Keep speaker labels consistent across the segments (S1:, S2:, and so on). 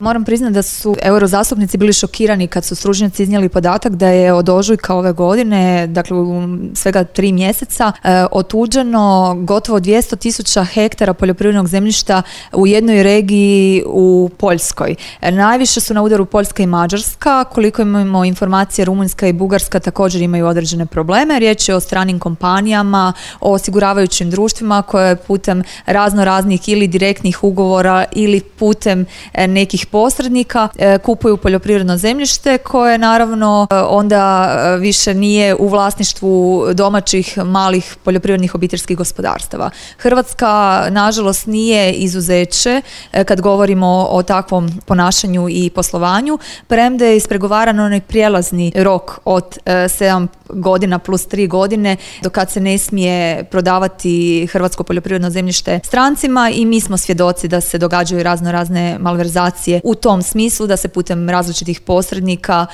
S1: Moram priznati da su eurozastupnici bili šokirani kad su stručnjaci iznijeli podatak da je od ožujka ove godine, dakle u svega 3 mjeseca, otuđeno gotovo 200.000 hektara poljoprivrednog zemljišta u jednoj regiji u Poljskoj. Najviše su na udaru Poljska i Mađarska, koliko imamo informacije Rumunjska i Bugarska također imaju određene probleme. Riječ je o stranim kompanijama, o osiguravajućim društvima koje putem raznih ili direktnih ugovora ili putem nekih posrednika kupuju poljoprivredno zemljište koje naravno onda više nije u vlasništvu domaćih malih poljoprivrednih obiteljskih gospodarstava. Hrvatska nažalost nije izuzeće kad govorimo o takvom ponašanju i poslovanju, premda je ispregovaran onaj prijelazni rok od 7 godina plus 3 godine do kad se ne smije prodavati hrvatsko poljoprivredno zemljište strancima i mi smo svjedoci da se događaju razne malverzacije u tom smislu da se putem različitih posrednika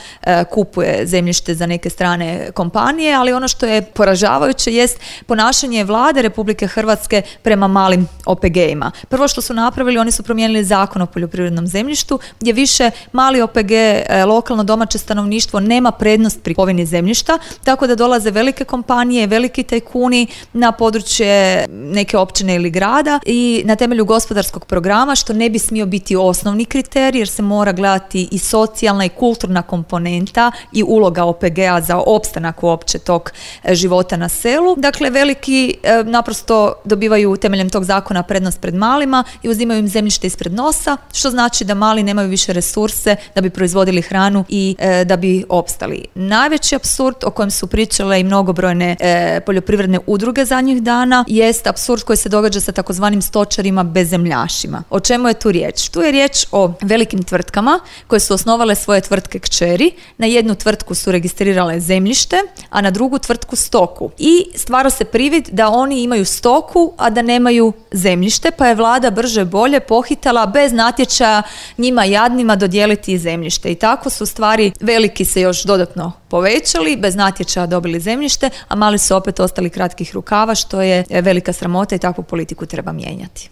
S1: kupuje zemljište za neke strane kompanije, ali ono što je poražavajuće jest ponašanje vlade Republike Hrvatske prema malim OPG-ima. Prvo što su napravili, oni su promijenili zakon o poljoprivrednom zemljištu gdje više mali OPG, lokalno domaće stanovništvo nema prednost pri kupovini zemljišta, tako da dolaze velike kompanije, veliki tajkuni na područje neke općine ili grada i na temelju gospodarskog programa, što ne bi smio biti osnovni kriterij jer se mora gledati i socijalna i kulturna komponenta i uloga OPG-a za opstanak uopće tog života na selu. Dakle, veliki naprosto dobivaju temeljem tog zakona prednost pred malima i uzimaju im zemljište ispred nosa, što znači da mali nemaju više resurse da bi proizvodili hranu i da bi opstali. Najveći apsurd o kojem su pričale i mnogobrojne poljoprivredne udruge zadnjih dana jest apsurd koji se događa sa takozvanim stočarima bezemljašima. O čemu je tu riječ? Tu je riječ o velikim tvrtkama koje su osnovale svoje tvrtke kćeri. Na jednu tvrtku su registrirale zemljište, a na drugu tvrtku stoku. I stvara se privid da oni imaju stoku, a da nemaju zemljište, pa je vlada brže bolje pohitala bez natječaja njima jadnima dodijeliti zemljište. I tako su stvari veliki se još dodatno povećali, bez natječaja dobili zemljište, a mali su opet ostali kratkih rukava, što je velika sramota i takvu politiku treba mijenjati.